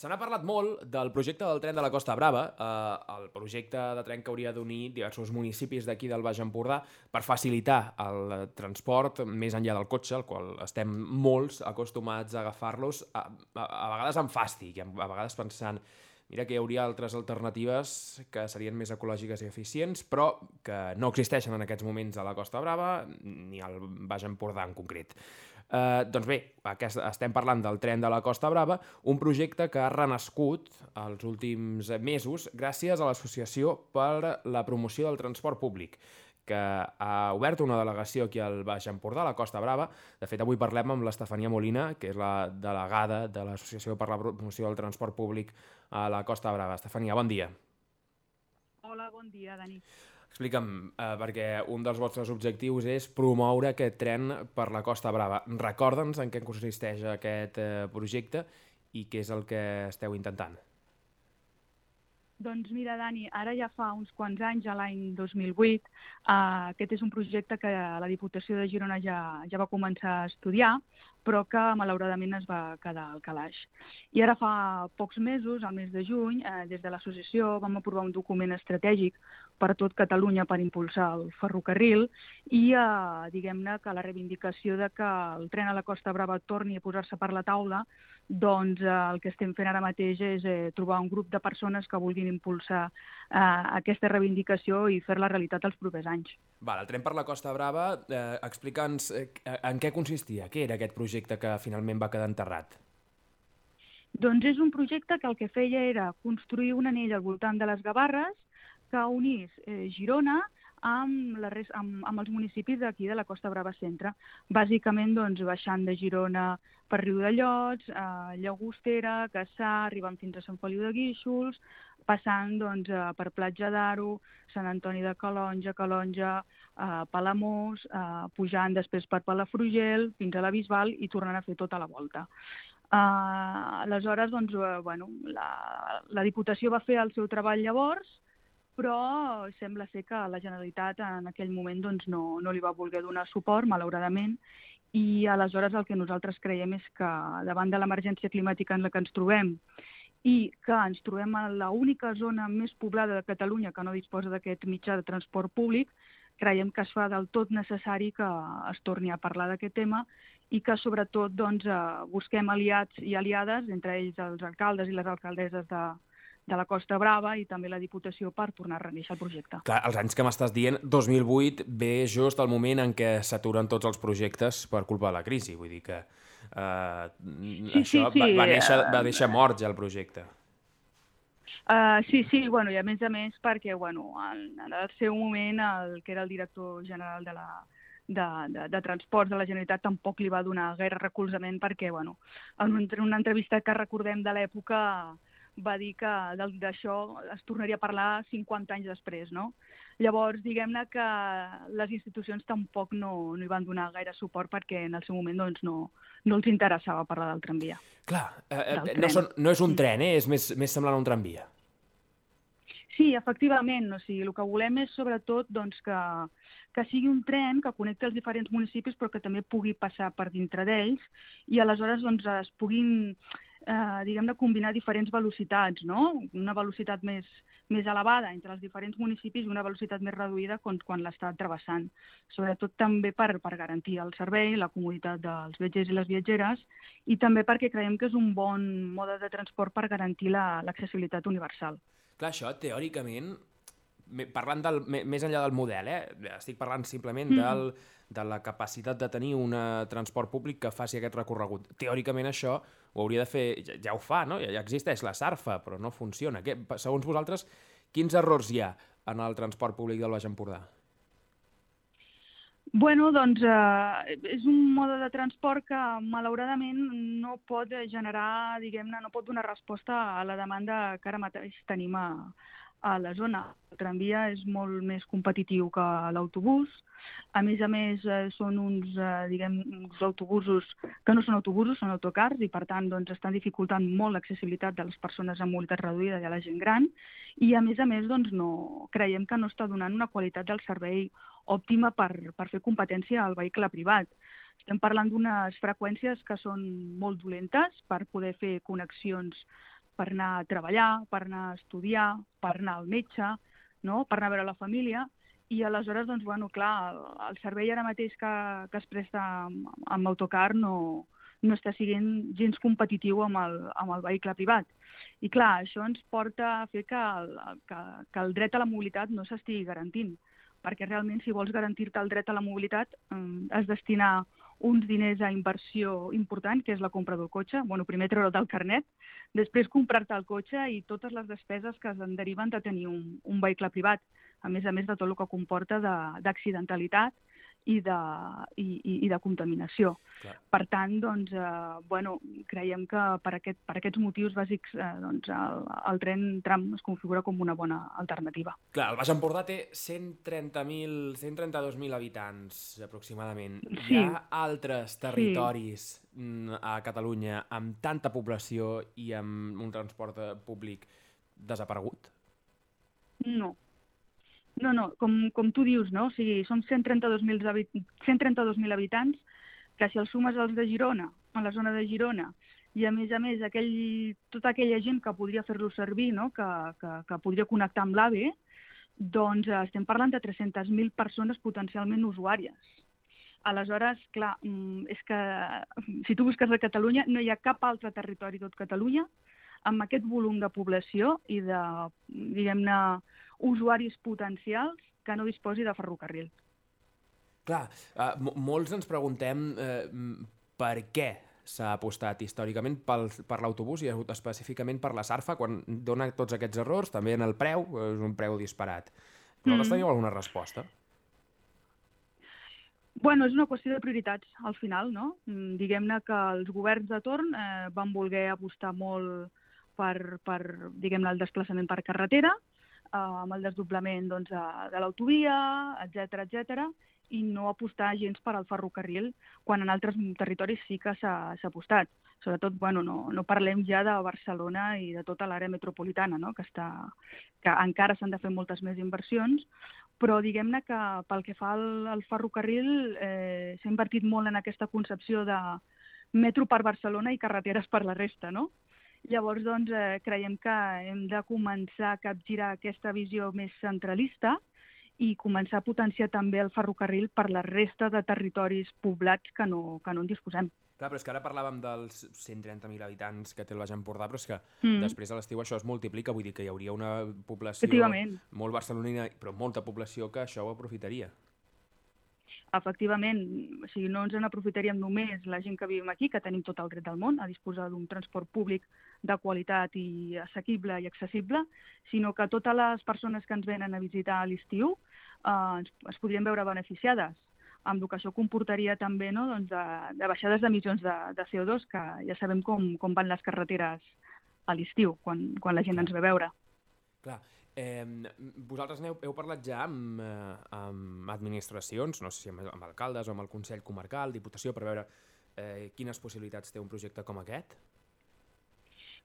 Se n'ha parlat molt del projecte del tren de la Costa Brava, el projecte de tren que hauria d'unir diversos municipis d'aquí del Baix Empordà per facilitar el transport més enllà del cotxe, al qual estem molts acostumats a agafar-los, a vegades amb fàstic, a vegades pensant mira que hi hauria altres alternatives que serien més ecològiques i eficients, però que no existeixen en aquests moments a la Costa Brava ni al Baix Empordà en concret. Doncs bé, estem parlant del tren de la Costa Brava, un projecte que ha renascut els últims mesos gràcies a l'Associació per la Promoció del Transport Públic, que ha obert una delegació aquí al Baix Empordà, a la Costa Brava. De fet, avui parlem amb l'Estefania Molina, que és la delegada de l'Associació per la Promoció del Transport Públic a la Costa Brava. Estefania, bon dia. Hola, bon dia, Dani. Explica'm, perquè un dels vostres objectius és promoure aquest tren per la Costa Brava. Recorda'ns en què consisteix aquest projecte i què és el que esteu intentant. Doncs mira, Dani, ara ja fa uns quants anys, a l'any 2008, aquest és un projecte que la Diputació de Girona ja va començar a estudiar, però que malauradament es va quedar al calaix. I ara fa pocs mesos, al mes de juny, des de l'associació vam aprovar un document estratègic per a tot Catalunya per impulsar el ferrocarril i diguem-ne que la reivindicació de que el tren a la Costa Brava torni a posar-se per la taula, doncs el que estem fent ara mateix és trobar un grup de persones que vulguin impulsar aquesta reivindicació i fer-la realitat els propers anys. Val, el tren per la Costa Brava, explica'ns en què consistia, què era aquest projecte que finalment va quedar enterrat? Doncs és un projecte que el que feia era construir un anell al voltant de les Gavarres que unís Girona amb els municipis d'aquí de la Costa Brava Centre. Bàsicament, doncs, baixant de Girona per Riudellots, Llagostera, Cassà, arribant fins a Sant Feliu de Guíxols, passant doncs, per Platja d'Aro, Sant Antoni de Calonge, Palamós, pujant després per Palafrugell, fins a la Bisbal i tornant a fer tota la volta. Aleshores, doncs, la Diputació va fer el seu treball llavors, però sembla ser que la Generalitat en aquell moment doncs, no li va voler donar suport, malauradament, i aleshores el que nosaltres creiem és que davant de l'emergència climàtica en la que ens trobem i que ens trobem a l'única zona més poblada de Catalunya que no disposa d'aquest mitjà de transport públic, creiem que es fa del tot necessari que es torni a parlar d'aquest tema i que sobretot doncs, busquem aliats i aliades, entre ells els alcaldes i les alcaldesses de la Costa Brava i també la Diputació per tornar a renéixer el projecte. Clar, els anys que m'estàs dient, 2008 ve just el moment en què s'aturen tots els projectes per culpa de la crisi. Vull dir que això va deixar mort ja el projecte. Sí, bueno, i a més perquè en el seu moment el que era el director general de Transports de la Generalitat tampoc li va donar gaire recolzament perquè en una entrevista que recordem de l'època va dir que d'això es tornaria a parlar 50 anys després, no? Llavors, diguem-ne que les institucions tampoc no hi van donar gaire suport perquè en el seu moment doncs, no els interessava parlar del tramvia. Clar, no és un tren, és més semblant a un tramvia. Sí, efectivament. O sigui, el que volem és sobretot doncs, que sigui un tren que connecti els diferents municipis però que també pugui passar per dintre d'ells i aleshores doncs, es puguin diguem-ne, combinar diferents velocitats, no? Una velocitat més elevada entre els diferents municipis i una velocitat més reduïda quan l'està travessant. Sobretot també per garantir el servei, la comoditat dels viatgers i les viatgeres i també perquè creiem que és un bon mode de transport per garantir l'accessibilitat universal. Clar, això, teòricament, parlant més enllà del model, estic parlant simplement de la capacitat de tenir un transport públic que faci aquest recorregut. Teòricament això ho hauria de fer, ja ho fa, no? Ja existeix la SARFA, però no funciona. Segons vosaltres, quins errors hi ha en el transport públic del Baix Empordà? Bueno, doncs és un mode de transport que malauradament no pot generar, diguem-ne, no pot donar resposta a la demanda que ara mateix tenim a la zona. El tramvia és molt més competitiu que l'autobús. A més, són uns autobusos que no són autobusos, són autocars i, per tant, doncs, estan dificultant molt l'accessibilitat de les persones amb mobilitat reduïda i a la gent gran. I, a més, doncs, creiem que no està donant una qualitat del servei òptima per fer competència al vehicle privat. Estem parlant d'unes freqüències que són molt dolentes per poder fer connexions per anar a treballar, per anar a estudiar, per anar al metge, no? Per anar a veure la família, i aleshores, doncs, bueno, clar, el servei ara mateix que es presta amb autocar no està sent gens competitiu amb el vehicle privat. I clar, això ens porta a fer que el dret a la mobilitat no s'estigui garantint, perquè realment si vols garantir-te el dret a la mobilitat has de destinar uns diners a inversió important, que és la compra del cotxe, bueno, primer treure'l del carnet, després comprar-te el cotxe i totes les despeses que en deriven de tenir un vehicle privat, a més de tot el que comporta d'accidentalitat i de contaminació. Clar. Per tant, doncs, bueno, creiem que per aquests motius bàsics doncs, el tren tram es configura com una bona alternativa. Clar, el Baix Empordà té 132.000 habitants, aproximadament. Sí. Hi ha altres territoris a Catalunya amb tanta població i amb un transport públic desaparegut? No, com tu dius, no? O sigui, som 132.000 habitants, que si els sumes als de Girona, a la zona de Girona, i a més tota aquella gent que podria fer-lo servir, no? que podria connectar amb l'AVE, doncs estem parlant de 300.000 persones potencialment usuàries. Aleshores, clar, és que si tu busques a Catalunya, no hi ha cap altre territori tot Catalunya amb aquest volum de població i de, diguem-ne, usuaris potencials que no disposi de ferrocarril. Clar, molts ens preguntem per què s'ha apostat històricament per l'autobús i específicament per la Sarfa, quan dona tots aquests errors, també en el preu, és un preu disparat. Vosaltres teniu alguna resposta? Bueno, és una qüestió de prioritats, al final, no? Diguem-ne que els governs de torn van voler apostar molt per diguem-ne, el desplaçament per carretera, amb el desdoblament doncs, de l'autovia, etc, i no apostar gens per al ferrocarril, quan en altres territoris sí que s'ha apostat. Sobretot, bueno, no parlem ja de Barcelona i de tota l'àrea metropolitana, no? que encara s'han de fer moltes més inversions, però diguem-ne que pel que fa al ferrocarril s'ha invertit molt en aquesta concepció de metro per Barcelona i carreteres per la resta, no? Llavors, doncs, creiem que hem de començar a capgirar aquesta visió més centralista i començar a potenciar també el ferrocarril per la resta de territoris poblats que no en disposem. Clar, però és que ara parlàvem dels 130.000 habitants que té el Baix Empordà, però és que després a l'estiu això es multiplica, vull dir que hi hauria una població molt barcelonina, però molta població que això ho aprofitaria. Efectivament, o sigui, no ens n'aprofitaríem només la gent que vivim aquí, que tenim tot el dret del món a disposar d'un transport públic de qualitat i assequible i accessible, sinó que totes les persones que ens venen a visitar a l'estiu es podrien veure beneficiades, amb el que això comportaria també, no? Doncs de baixades d'emissions de CO2, que ja sabem com van les carreteres a l'estiu, quan la gent ens ve a veure. Clar. Vosaltres heu parlat ja amb administracions, no sé si amb alcaldes o amb el Consell Comarcal, Diputació, per veure quines possibilitats té un projecte com aquest?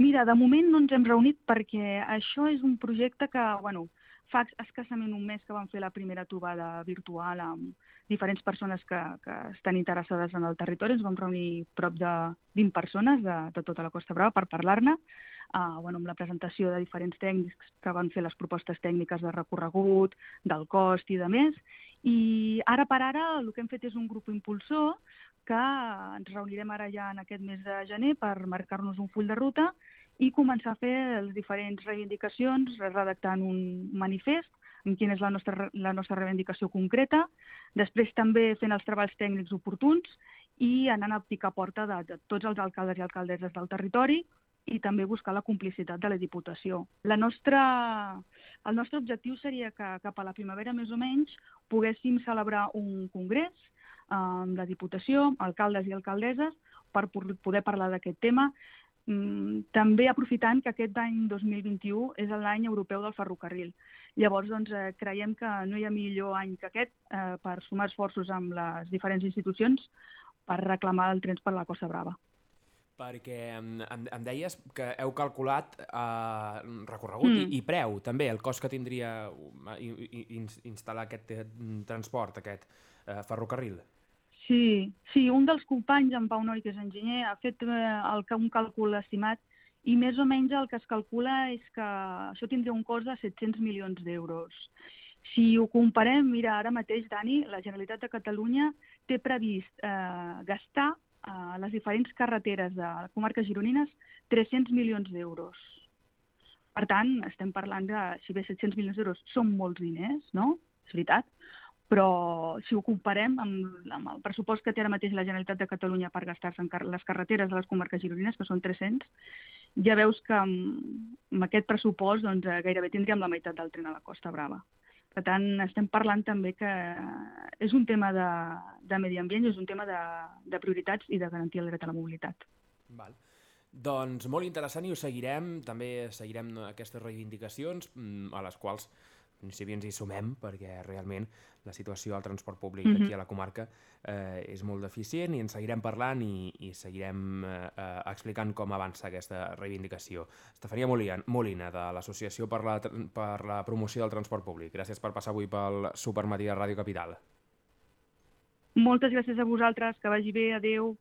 Mira, de moment no ens hem reunit perquè això és un projecte que, bueno, fa escassament un mes que vam fer la primera trobada virtual amb diferents persones que estan interessades en el territori. Ens vam reunir prop de 20 persones de tota la Costa Brava per parlar-ne, amb la presentació de diferents tècnics que van fer les propostes tècniques de recorregut, del cost i de més. I ara per ara el que hem fet és un grup impulsor que ens reunirem ara ja en aquest mes de gener per marcar-nos un full de ruta i començar a fer les diferents reivindicacions, redactant un manifest amb quina és la nostra reivindicació concreta, després també fent els treballs tècnics oportuns i anant a picar porta de tots els alcaldes i alcaldesses del territori i també buscar la complicitat de la Diputació. El nostre objectiu seria que cap a la primavera, més o menys, poguéssim celebrar un congrés amb la Diputació, alcaldes i alcaldesses, per poder parlar d'aquest tema, també aprofitant que aquest any 2021 és l'any europeu del ferrocarril. Llavors, doncs, creiem que no hi ha millor any que aquest per sumar esforços amb les diferents institucions per reclamar el tren per la Costa Brava. Perquè em deies que heu calculat recorregut i preu, també, el cost que tindria instal·lar aquest transport, aquest ferrocarril. Sí, un dels companys, en Pau Noi, que és enginyer, ha fet un càlcul estimat i més o menys el que es calcula és que això tindria un cost de 700 milions d'euros. Si ho comparem, mira, ara mateix, Dani, la Generalitat de Catalunya té previst gastar a les diferents carreteres de comarques gironines 300 milions d'euros. Per tant, estem parlant de, si bé 700 milions d'euros són molts diners, no? És veritat, però si ho comparem amb el pressupost que té ara mateix la Generalitat de Catalunya per gastar-se en les carreteres de les comarques gironines, que són 300, ja veus que amb aquest pressupost doncs, gairebé tindríem la meitat del tren a la Costa Brava. Per tant, estem parlant també que és un tema de medi ambient i és un tema de prioritats i de garantir el dret a la mobilitat. Val. Doncs molt interessant i ho seguirem, també seguirem aquestes reivindicacions a les quals si bé ens hi sumem, perquè realment la situació del transport públic aquí a la comarca és molt deficient i en seguirem parlant i seguirem explicant com avança aquesta reivindicació. Estefania Molina, de l'Associació per la Promoció del Transport Públic. Gràcies per passar avui pel Supermatí de Ràdio Capital. Moltes gràcies a vosaltres, que vagi bé, adeu.